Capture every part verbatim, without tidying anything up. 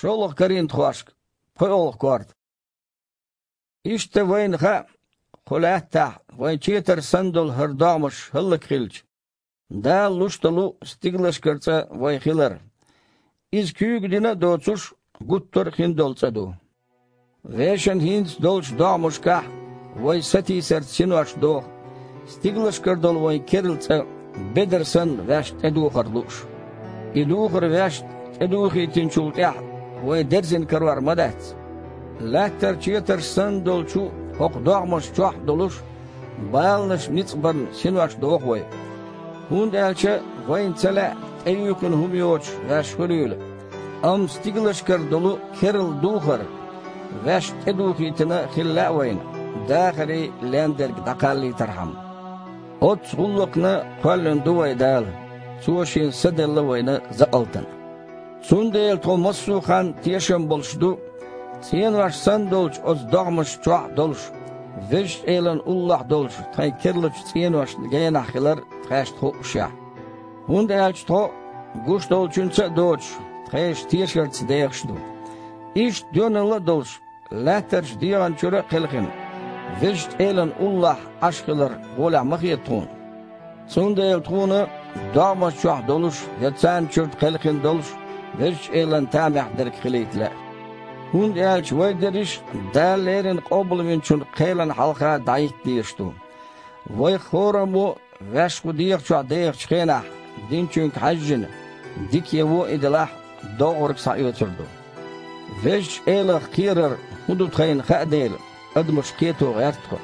ШолгӀа Коринтхошка, пхоьалгӀа корта. Иштта вайна хаьа, кху лаьттахь вайн четар санна долу хӀара догӀмаш хӀаллакьхилча, Дала луш долу стигалшкара цӀа вай хилар. Иза куьйга дина а доцуш, гуттар а хин долу цӀа ду. Вешан хӀинца долчу догӀмашкахь вай сатийсарца синош доху, стигалшкара долу вайн керла цӀа бедар санна ваьшна тӀедухар лууш. И духар ваьшна тӀедухийтинчул тӀаьхьа вай дерзина карор ма дац. Лаьттара четарш санна долчу хӀокху догӀмаш чохь а долуш, баланаш ницкъ барна синош доху вай. ХӀунда аьлча вайна ца лаьа тӀеюьйхина хӀума йоцуш ваьш хуьлийла, амма стигалшкара долу керла духар ваьшна тӀедухийтина хила лаьа вайна, дахарий лендерг дӀакхаллийтархьама. Оццу гӀуллакхна кхоьллина ду вай Дала, Цо Шен Са делла вайна закъалтана. Цундела тхо массо а хан тешам болуш ду, цӀенош санна долчу оцу догӀмаш чохь а долуш, Везачу Элан уллохь долчу тхайн керлачу цӀеношна генахь хилар тхаьшна хуъушехь. ХӀунда аьлча тхо, гуш долчуьнца а доцуш, тхешан тешарца дехаш ду. Иштта доьналла а долуш, лаьттарчу дегӀан чуьра а кхелхина, Везачу Элан уллохь Ӏаш хилар гӀолехь ма хета тхуна. Цундела тхуна догӀмаш чохь долуш я царна чуьра кхелхина долуш Везачу Элан тамехь дерг хилийта лаьа. ХӀунда аьлча вай дерриш а Дала леррина Къобалвинчун кхелан хьалха дӀахӀитта дезаш ду. Вайх хӀораммо ваьш кху дегӀа чохь дехачу хенахь, динчуьнга хьаьжжина, дика я вон и делахь, довхург схьаоьцур ду. Везачу Элах кхерар хӀун ду тхайна хаа дела, адамаш кхето гӀерта тхо.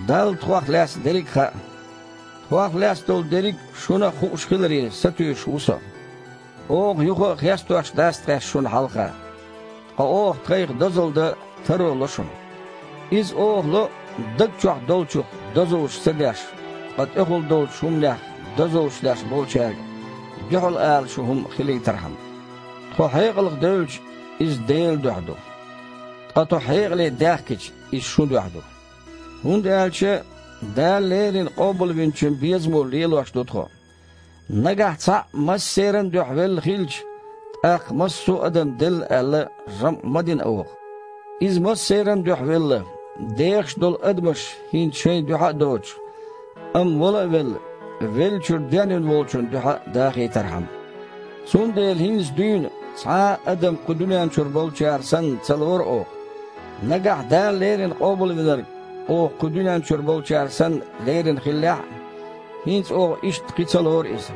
Далла тхох лаьцна дерриг а хаьа. Тхох лаьцна долу дерриг шуна а хууш хиларе, сатуьйсуш ву со. Оха юха а хестош дац тхаьш шуна хьалха. Ткъа оха тхайх дозалла дан таро ло шуна. Иза оха ло даг чохь долчух дозаллаш ца деш, ткъа тӀехула долчу хӀуманех дозаллаш деш болчаьрга дуьхьал ала шу хӀума хилийтархьама. Тхо хьекъалх девлча, иза Делан дуьхьа ду. Ткъа тхо хьекъале даьхкича, иза шун дуьхьа ду. ХӀунда аьлча Дала леррина Къобалвинчун безамо лелош ду тхо. Нагахь цхьаъ массеран а дуьхьа велла хилча, тӀаккха массо а адам делла аьлла, жамӀ ма дина оха. Иза массеран а дуьхьа велла, дехаш долу адамаш хӀинца шайн дуьхьа а доцуш, амма вала а велла, веллачуьра денвина волчун дуьхьа дахийтархьама. Цундела хӀинца дуьйна цхьа а адам кху дуьнен чуьра болчара санна ца лору оха. Нагахь Дала леррина Къобалвинарг оха кху дуьнен чуьра болчара санна леррина хиллехь а, хӀинца оха иштта кхин ца лору иза.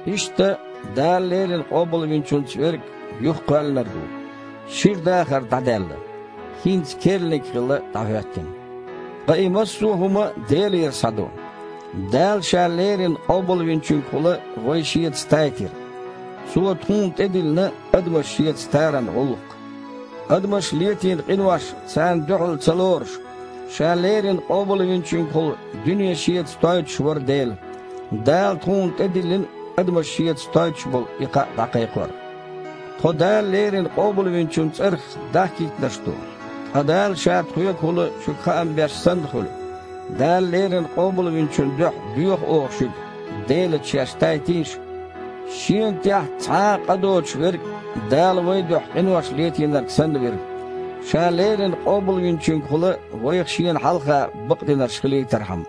Иштта Дала леррина Къобалвинчуьнца верг юхакхоьллинарг ву, шира дахар дӀадаьлла, хӀинца керланиг хилла дӀахӀоьттина. Ткъа и массо а хӀума Делера схьаду. Дала Ша леррина Къобалвинчуьнгахула вай Шеца тайтира. Цо тхуна тӀедиллина адамаш Шеца таран гӀуллакх. Адамаш летийна къинош царна дуьхьал ца лоруш, Ша леррина Къобалвинчуьнгахула дуьне Шеца тойтуш вара Дела. Дала тхуна тӀедиллина адамаш Шеца тойтуш болу и кхаъ дӀакхайкхор. Тхо Дала леррина Къобалвинчун цӀарах дахкийтинарш ду. Ткъа Дала Ша тхоьгахула шуьга хаам беш санна хуьлу. Дала леррина Къобалвинчун дуьхьа доьху оха шуьга, Делаца шаьш тайтийша. Шена тӀехь цхьа а къа доцуш верг Дала вайн дуьхьа къинош летийнарг санна вира. Ша леррина Къобалвинчуьнгахула вайх Шена хьалха бакъдинарш хилийтархьама.